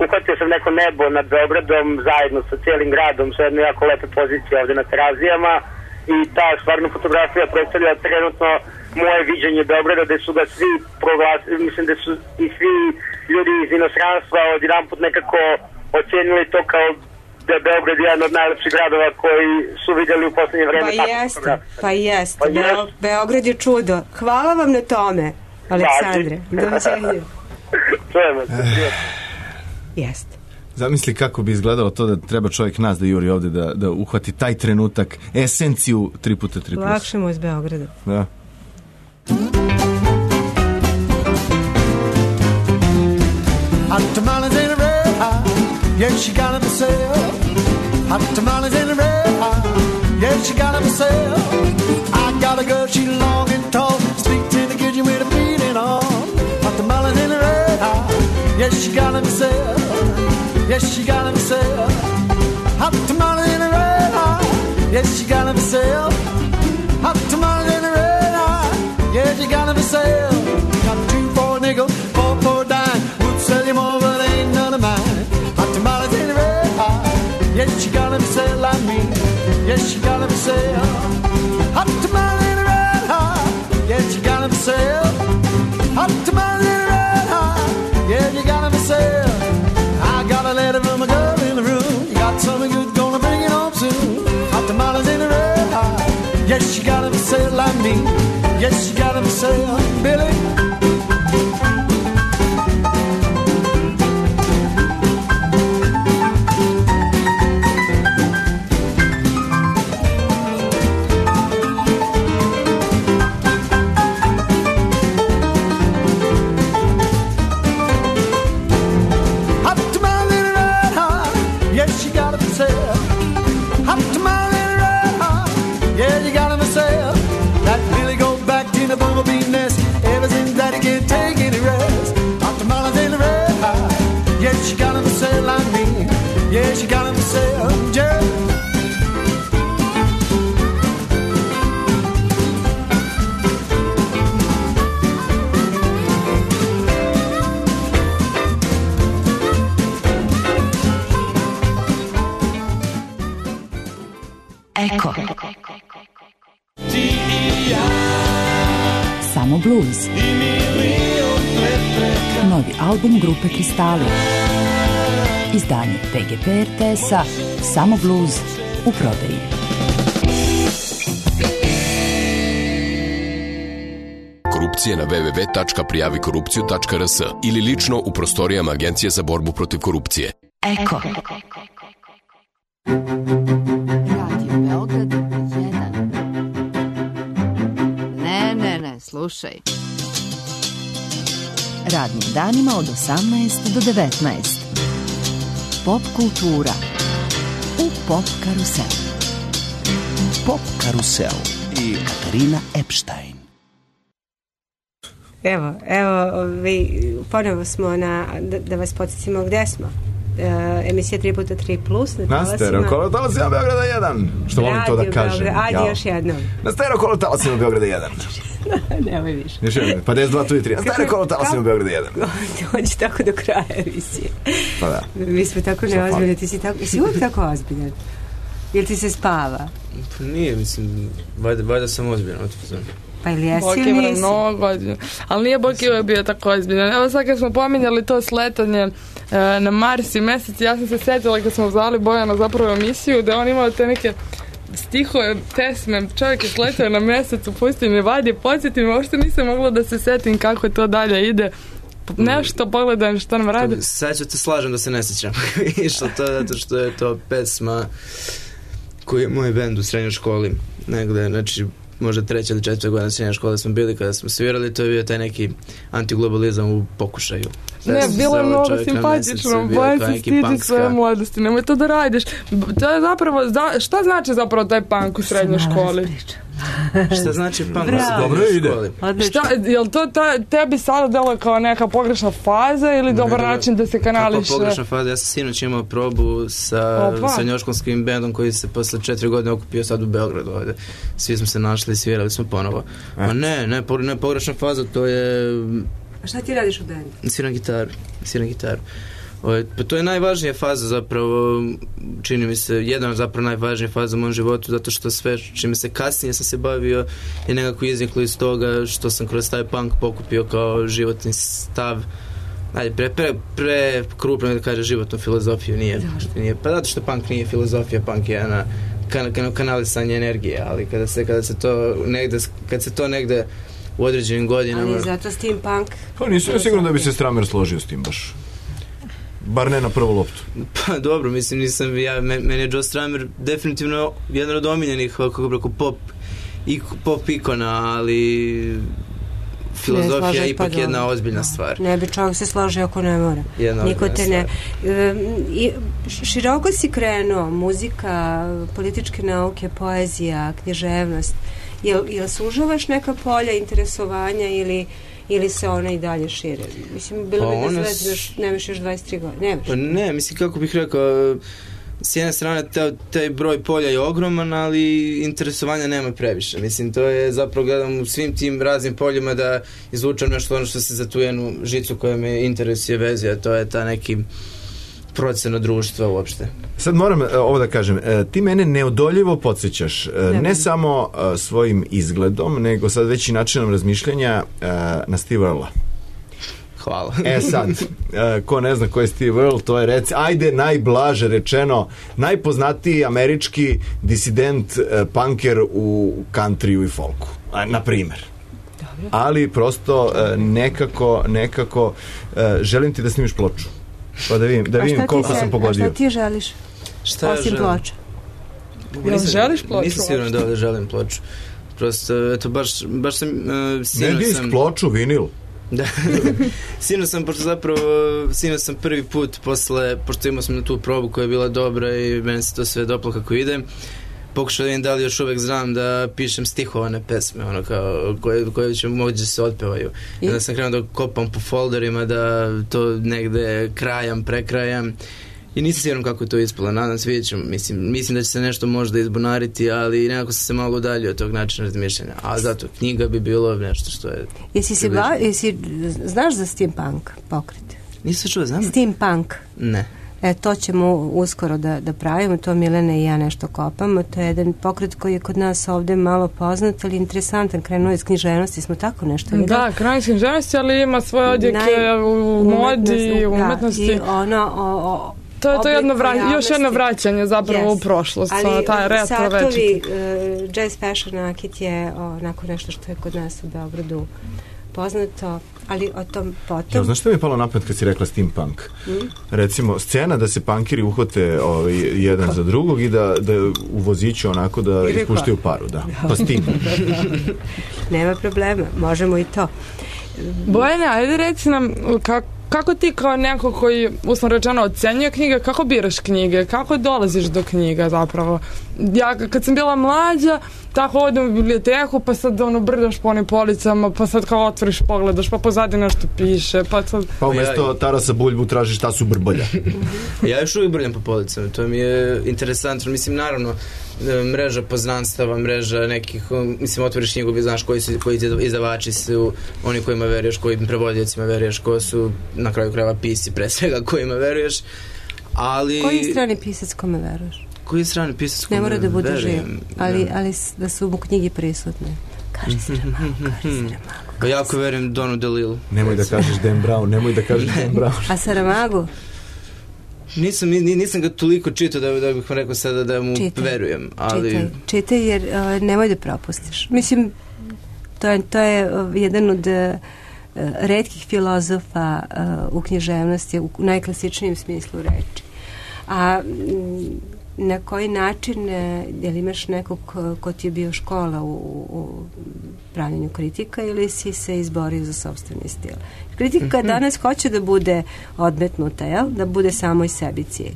uhvatio sam neko nebo nad Beogradom zajedno sa cijelim gradom, sa jedne jako lepe pozicije ovde na Terazijama i ta stvarno fotografija predstavlja trenutno moje viđenje Beograda, gde su ga svi proglasili, mislim da su i svi ljudi iz inostranstva odjedanput nekako ocenili to kao da je Beograd jedan od najlepših gradova koji su vidjeli u poslednje vreme. Pa jeste. Beograd je čudo. Hvala vam na tome, Aleksandre. Doviđenja. Čujemo se. Jeste. Zamisli kako bi izgledalo to da treba čovjek nas da juri ovde, da uhvati taj trenutak, esenciju 3x3+. Lakše mu iz Beograda. Da. Hot tamales in a red hot, yes she got them for sale. Hot tamales in a red hot, yes she got them for sale. I got a girl, she long and tall, speaks in the kitchen with a beating on. Hot tamales in a red hot, yes she got them for sale. Yes she got them for sale. Hot tamales in a red hot, yes she got them for sale. Hot tamales in a red hot, yes she got them for sale. Got 2 for a nickel, 4 for a dime. Sell you more, but ain't none of mine. Hot tamales in the red hot. Yes, she got them sell like me. Yes, she got them sell. Hot tamales in the red hot. Yes, she got them sell. Hot tamales in the red hot. Yes, you got them sell. I got a letter from a girl in the room. You got something good, gonna bring it home soon. Hot tamales in the red hot. Yes, she got them sell like me. Yes, she got them sell. Billy. Eko. Samo blues. Novi album grupe Kristali. Izdanje PGP RTS-a Samo blues u prodaji. Korupcije na www.prijavikorupciju.rs ili lično u prostorijama Agencije za borbu protiv korupcije. Eko. Radio Beograd 1. Ne, slušaj. Radnim danima od 18 do 19. Pop kultura u Pop karuselu. Pop Karusel i Katarina Epstein. Evo, ponovo smo da vas podsjetimo gde smo. Emisija 3x3+. Na stereo kolotalasima Beograda 1. Što volim to da kažem. Ajde još jednom. Na stereo kolotalasima Beograda 1. Nemoj više. Još jednom, pa 10, 2, 3. Na stereo kolotalasima Beograda 1. Dođi tako do kraja emisije. Pa da. Mi smo tako neozbiljni. Ti si uvijek tako ozbiljan. Jel ti se spava? Pa nije, mislim, valjda sam ozbiljan. Pa ili jesi ili nisi? Mnogo ozbiljan. Ali nije Boki uvijek bio tako ozbiljan. Evo sad kad smo pominjali to sletanje na Mars i mesec, ja sam se sjetila kad smo zvali Bojana zapravo emisiju da on imao te neke stihove, pesme, čovjek je sletao na mesec u pustinji Vadi, podsjetim, uopšte nisam mogla da se setim kako to dalje ide. Nešto pogledam što nam radi. Sad ću te slažem da se ne sjećam. Išlo to zato što je to pesma koji je moj bend u srednjoj školi negde, znači možda 3. ili 4. godina srednje škole smo bili kada smo svirali, to je bio taj neki antiglobalizam u pokušaju. Ne, bilo je mnogo simpatično, Bojan se stidi svoje mladosti, nemoj to da radiš. To je zapravo, šta znači zapravo taj punk u srednjoj školi? Šta znači punk u srednjoj školi? Jel to tebi sada delo kao neka pogrešna faza ili dobar način da se kanališe? Kako pogrešna faza? Ja sam sinoć imao probu sa srednjoškolskim bendom koji se posle 4 godine okupio sad u Beogradu ovde. Svi smo se našli i svirali smo ponovo. Ma ne pogrešna faza, to je... A šta ti radiš u bendu? Sviram gitaru. Pa to je najvažnija faza zapravo, čini mi se, jedna zapravo najvažnija faza u mom životu, zato što sve čime se kasnije sam se bavio je nekako izniklo iz toga što sam kroz taj punk pokupio kao životni stav. Ajde, pre krupno da kaže životnu filozofiju, nije. Pa zato što punk nije filozofija, punk je kanalisanje energije, ali kad se to negde u određenim godinama... Ali zato steampunk... Pa nisam sigurno da bi se Stramer složio s tim baš. Bar ne na prvu loptu. Pa dobro, mislim, meni je Joe Stramer definitivno jedan od omiljenih, kako bi rekao, pop ikona, ali filozofija je ipak jedna ozbiljna stvar. Ne bi čovjek se složio ako ne mora. Niko te ne... Široko si krenuo, muzika, političke nauke, poezija, književnost. Jel sužavaš neka polja interesovanja ili se ona i dalje šire? Mislim, bilo bi da nemaš još 23 godine. Pa ne, mislim, kako bih rekao, s jedne strane taj broj polja je ogroman, ali interesovanja nema previše. Mislim, to je zapravo, gledam u svim tim raznim poljima da izvučam nešto ono što se za tu jednu žicu koja me interesuje vezi, a to je ta neki procena društva uopšte. Sad moram ovo da kažem, ti mene neodoljivo podsjećaš, ne samo svojim izgledom, nego sad već i načinom razmišljanja na Steve Earla. Hvala. Sad, ko ne zna ko je Steve Earle, to je ajde najblaže rečeno, najpoznatiji američki disident punker u countryu i folku, na primer. Ali prosto nekako želim ti da snimiš ploču. Pa da vidim koliko sam pogodio. A šta ti želiš? Osim ploča? Želiš ploču? Nisam siguran da želim ploču. Prosto, eto, baš sam... Ne disk, ploču, vinil. Da. Sinoć sam prvi put pošto imao sam na tu probu koja je bila dobra i meni se to sve doplo kako ide, pokušao da vidim da li još uvek znam da pišem stihovane pesme, ono kao koje će moći da se otpevaju. I onda sam krenuo da kopam po folderima, da to negde prekrajam i nisam siguran kako je to ispalo. Nadam se, vidjet ću, mislim da će se nešto možda izbunariti, ali nekako sam se malo udaljio od tog načina razmišljanja. A zato knjiga bi bilo nešto što je... Znaš za steampunk pokret? Nisam čuo, znam. Steampunk? Ne. To ćemo uskoro da pravimo, to Milena i ja nešto kopamo. To je jedan pokret koji je kod nas ovde malo poznat, ali interesantan, krenuo iz književnosti, smo tako nešto videli. Da, krenuo iz književnosti, ali ima svoje odjeke u modi, u umetnosti. I ono... To je još jedno vraćanje zapravo u prošlost. Ali satovi, jazz fashion nakit je onako nešto što je kod nas u Beogradu poznato, ali o tom potom... Znaš što mi je palo na pamet kad si rekla steampunk? Recimo, scena da se punkiri uhvate jedan za drugog i da u voziću onako da ispuštaju paru, da. Pa steampunk. Nema problema, možemo i to. Bojana, ajde reci nam kako ti kao neko koji, uslovno rečeno, ocenjuje knjige, kako biraš knjige, kako dolaziš do knjiga zapravo? ja kad sam bila mlađa, tako odem u biblioteku, pa sad brdaš po onim policama, pa sad kao otvoriš, pogledaš, pa pozadi nešto piše, pa sad... Pa umjesto Tarasa Buljbu tražiš Tasu Brbolja. Ja još uvijek brljam po policama, to mi je interesantno, mislim, naravno, mreža poznanstava, mreža nekih, mislim, otvoriš knjigu, vi znaš koji izdavači su, oni kojima veruješ, kojim prevodiocima veruješ, ko su na kraju krajeva pisci, pre svega kojima veruješ, ali... Koji strani pisac kome veruješ? Koji strani pisac kome verujem? Ne mora da bude živ, ali da su u knjigi prisutne. Kaži Saramago. Pa jako verujem Donu DeLillo. Nemoj da kažeš Dan Brown, A Saramago? Nisam ga toliko čitao da bih vam rekao sada da mu verujem, ali... Čitaj jer nemoj da propustiš. Mislim, to je jedan od retkih filozofa u književnosti, u najklasičnijem smislu reči. A na koji način, je li imaš nekog ko ti je bio škola u pravljenju kritika ili si se izborio za sopstveni stil? Kritika danas hoće da bude odmetnuta, jel? Da bude samo i sebi cilj.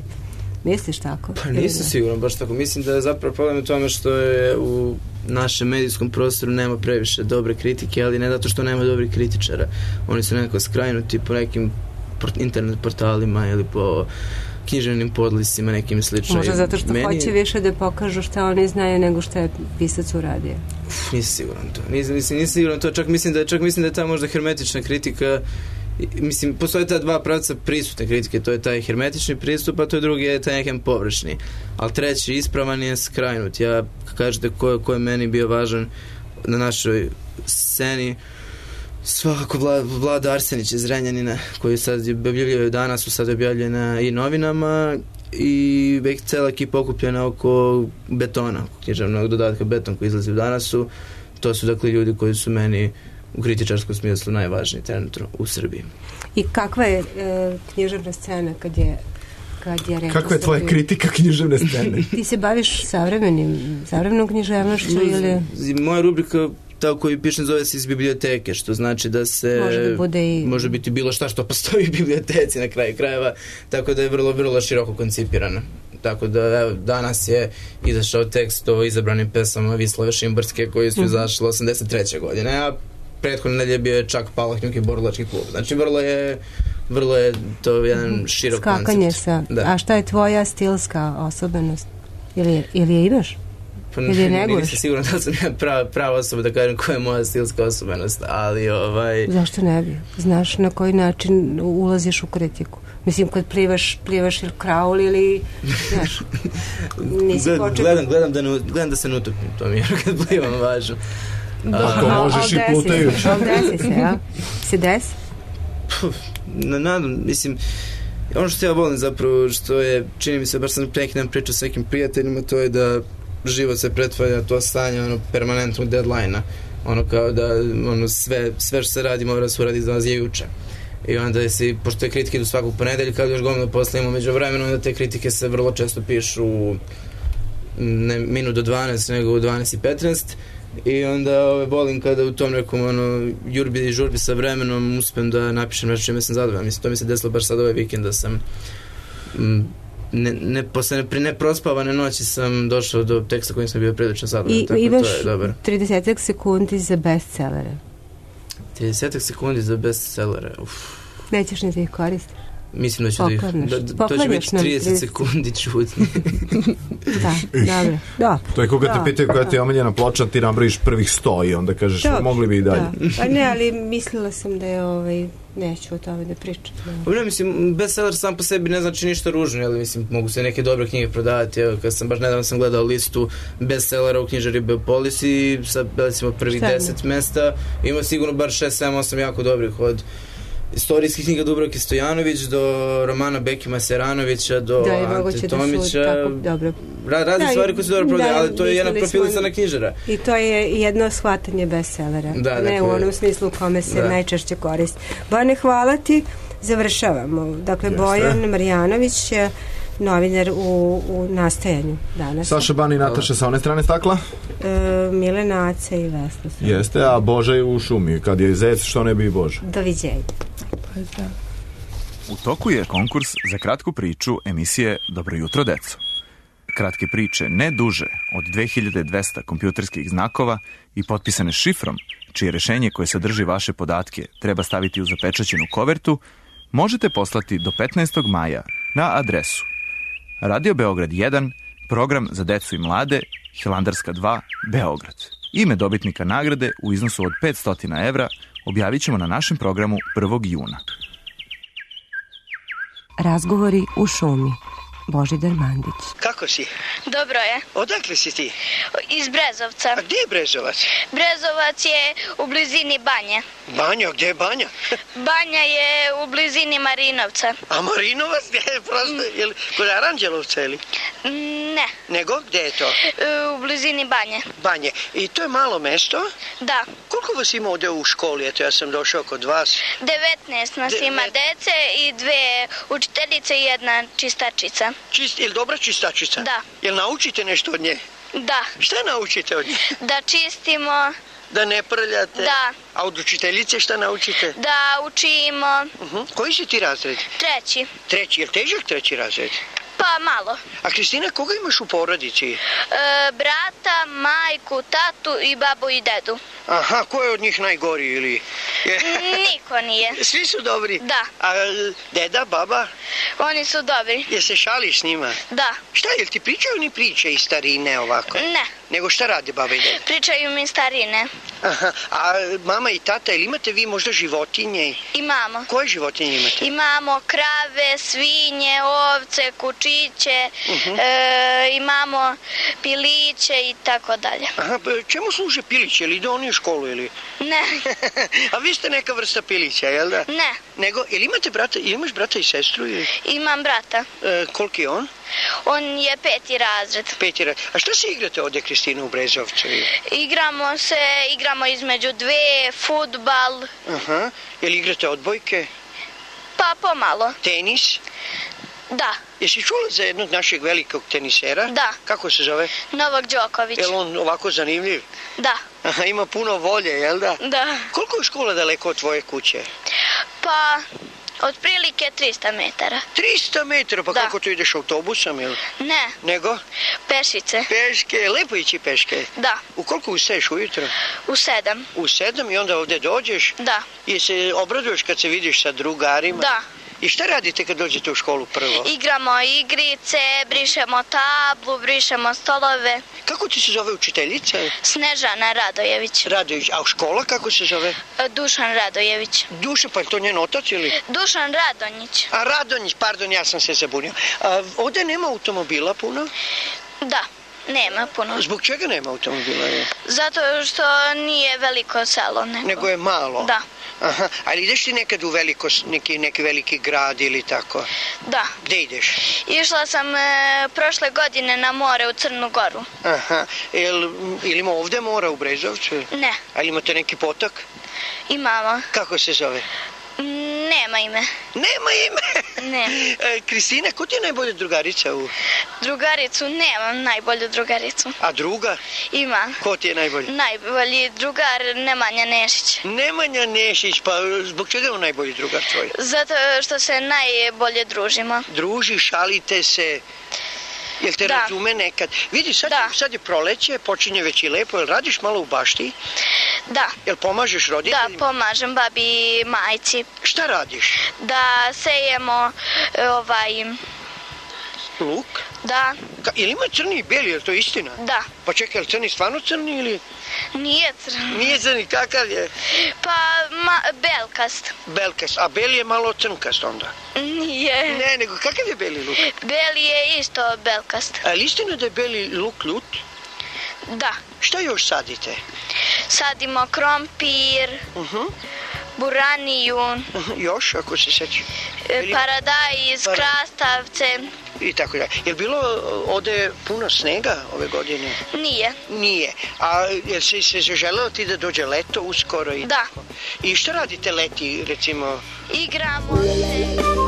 Misliš tako? Pa nisam siguran baš tako. Mislim da je zapravo problem u tome što je u našem medijskom prostoru nema previše dobre kritike, ali ne zato što nema dobrih kritičara. Oni su nekako skrajnuti po nekim internet portalima ili po književnim podlisima, nekim slično. Možda zato što hoće više da pokažu šta oni znaju nego što je pisac uradio. Nisam siguran to. Nisam siguran to. Čak mislim da je ta možda hermetična kritika. Mislim, postoje ta dva pravca prisutne kritike. To je taj hermetični pristup, a to je drugi je taj nekem površni. Ali treći ispravan je skrajnut. Ja, kažete ko je meni bio važan na našoj sceni, svakako Vlada Arsenić iz Zrenjanina, koji sad objavljaju danas, sad objavljena i novinama, i već cela ekipa okupljena oko Betona, književnog dodatka Beton koji izlazi u Danasu. To su dakle ljudi koji su meni u kritičarskom smislu najvažniji trenutno u Srbiji. I kakva je književna scena kad je kakva je tvoja kritika književne scene? Ti se baviš savremenom književnošću ili... Moja rubrika ta koju pišem zove se iz biblioteke, što znači da se može biti bilo šta što postoji u biblioteci na kraju krajeva, tako da je vrlo, vrlo široko koncipirana. Tako da evo, danas je izašao tekst o izabranim pesama Vislave Šimborske koji su izašle 83. godine, a prethodne nedelje bio je čak Palahnjuk i Borilački klub. Znači vrlo je to jedan širok skakanje koncept. A šta je tvoja stilska osobenost? Ili je imaš? Pa nisam siguran da sam ja prava osoba da kažem koja je moja stilska osobenost, ali Zašto ne bi? Znaš na koji način ulaziš u kritiku? Mislim, kad plivaš ili kraul ili, znaš, nisi počeo... Gledam da se ne utopim, to mi je kad plivam važno. Ako možeš i plutajući. Desi se, ja? Se desi? Nadam, mislim, ono što ja volim zapravo, što je, čini mi se, baš sam neki dan pričao s nekim prijateljima, to je da život se pretvarja to stanje permanentnog deadline-a, kao da sve što se radi mora se uraditi za nas je juče. I onda pošto te kritike idu svakog ponedeljka, kad još gomilu posle imamo među vremenom, onda te kritike se vrlo često pišu ne minut do 12, nego u 12:15, i onda volim kada u tom nekom jurbi i žurbi sa vremenom uspem da napišem nešto čime sam zadovoljan. Mislim, to mi se desilo baš sad ovaj vikend da sam posle neprospavane noći sam došao do teksta kojim sam bio prilično zadovoljan. I imaš 30 sekundi za bestsellere. 30 sekundi za bestsellere, nećeš ni da ih koristiš? Mislim da ću to će biti 30 sekundi čutni. Da. To je koga te pitaju koja ti je omiljena ploča, ti nabrojiš prvih 100 i onda kažeš mogli bi i dalje. Pa ne, ali mislila sam da je neću o tome da pričam. Ne, mislim, bestseller sam po sebi ne znači ništa ružno, ali mislim, mogu se neke dobre knjige prodavati. Evo, kad sam baš nedavno sam gledao listu bestsellera u knjižari Beopolis i sa, recimo, prvih 10 mesta ima sigurno bar 6, 7, 8 jako dobrih, od istorijskih knjiga Dubravke Stojanović do romana Bekima Seranovića do Ante Tomića, razne stvari koje su dobro prodaje, ali to je jedna profilisana knjižara. I to je jedno shvatanje bestsellera, ne u onom smislu u kome se najčešće koristi. Bojane, hvala ti, završavamo. Dakle, Bojan Marjanović, novinar u nastajanju danas. Saša Ban i Nataša sa one strane stakla? Milena Aca i Vesna. Jeste, a Boža je u šumi. Kad je zec, što ne bi i Boža. Doviđenja. U toku je konkurs za kratku priču emisije Dobro jutro, deco. kratke priče ne duže od 2200 kompjuterskih znakova i potpisane šifrom, čije rešenje koje sadrži vaše podatke treba staviti u zapečaćenu kovertu, možete poslati do 15. maja na adresu Radio Beograd 1, program za decu i mlade, Hilandarska 2, Beograd. Ime dobitnika nagrade u iznosu od 500 evra objavit ćemo na našem programu 1. juna. Razgovori u šumi. Božidar Mandić. Kako si? Dobro je. Odakle si ti? Iz Brezovca. A gdje je Brezovac? Brezovac je u blizini Banje. Banja? Gdje je Banja? Banja je u blizini Marinovca. A Marinovac gdje je prosto? Kod Aranđelovca ili? Ne. Nego? Gdje je to? U blizini Banje. Banje. I to je malo mesto? Da. Koliko vas ima ovdje u školi? Eto, ja sam došao kod vas. 19 nas ima dece i 2 učiteljice i 1 čistačica. Ili dobra čistačica? Da. Jel naučite nešto od nje? Da. Šta naučite od nje? Da čistimo. Da ne prljate? Da. A od učiteljice šta naučite? Da učimo. Koji si ti razred? 3. 3. Jel težak 3. razred? Pa malo. A Kristina, koga imaš u porodici? Brata, majku, tatu i babu i dedu. Aha, ko je od njih najgori ili? Niko nije. Svi su dobri? Da. A deda, baba? Oni su dobri. Jel se šališ s njima? Da. Šta, jel ti pričaju ni priče iz starine ovako? Ne. Nego šta rade baba i deda? Pričaju mi starine. Aha, a mama i tata, ili imate vi možda životinje? Imamo. Koje životinje imate? Imamo krave, svinje, ovce, kučiće, imamo piliće i tako dalje. Aha, čemu služe piliće? Ili ide oni u školu ili? Ne. A vi ste neka vrsta pilića, jel da? Ne. Nego, ili imate brata, ili imaš brata i sestru ili? Imam brata. Koliki je on? On je 5. razred. 5. razred. A šta se igrate ovdje, Kristina, u Brezovcu? Igramo između 2, fudbal. Aha, jel igrate odbojke? Pa pomalo. Tenis? Da. Jesi čula za jednog našeg velikog tenisera? Da. Kako se zove? Novak Đoković. Jel on ovako zanimljiv? Da. Aha, ima puno volje, jel da? Da. Koliko je škola daleko od tvoje kuće? Pa, otprilike 300 metara. 300 metara? Pa da. Kako to ideš autobusom, jel? Ne. Nego? Pešice. Peške, lepo ići peške? Da. U koliko ustaješ ujutro? U 7. U 7 i onda ovdje dođeš? Da. I se obraduješ kad se vidiš sa drugarima? Da. I šta radite kad dođete u školu prvo? Igramo igrice, brišemo tablu, brišemo stolove. Kako ti se zove učiteljica? Snežana Radojević. Radojević. A škola kako se zove? Dušan Radojević. Dušan, pa je to njen otac ili? Dušan Radonjić. A Radonjić, pardon, ja sam se zabunio. A ovdje nema automobila puno? Da. Nema puno. Zbog čega nema automobila? Zato što nije veliko selo. Nego je malo? Da. Aha, ali ideš ti nekad u neki veliki grad ili tako? Da. Gde ideš? Išla sam prošle godine na more u Crnu Goru. Aha, ili ima ovdje mora u Brezovcu? Ne. Ali imate neki potok? Imamo. Kako se zove? Nema ime. Nema ime? Ne. Kristina, ko ti je najbolja drugarica u... Drugaricu nemam, najbolju drugaricu. A druga? Ima. Ko ti je najbolji? Najbolji drugar Nemanja Nešić. Nemanja Nešić, pa zbog čega je on najbolji drugar tvoj? Zato što se najbolje družimo. Druži, šalite se... Jel te razume nekad? Vidi, sad je proleće, počinje već i lepo, jel radiš malo u bašti? Da. Jel pomažeš roditeljima? Da, pomažem babi i majci. Šta radiš? Da sejemo luk? Da. Jel ima crni i beli, je li to istina? Da. Pa čekaj, je li crni stvarno crni ili... Nije crni. Nije crni, kakav je? Pa, belkast. Belkast, a beli je malo crnkast onda? Nije. Ne, nego kakav je beli luk? Beli je isto belkast. A je li istina da je beli luk ljut? Da. Šta još sadite? Sadimo krompir, buraniju. Još, ako se sećaš? Paradajz, krastavce. I tako da. Je li bilo ovdje puno snega ove godine? Nije. Nije. A je se želelo ti da dođe leto uskoro? Da. I šta radite leti, recimo? Igramo se.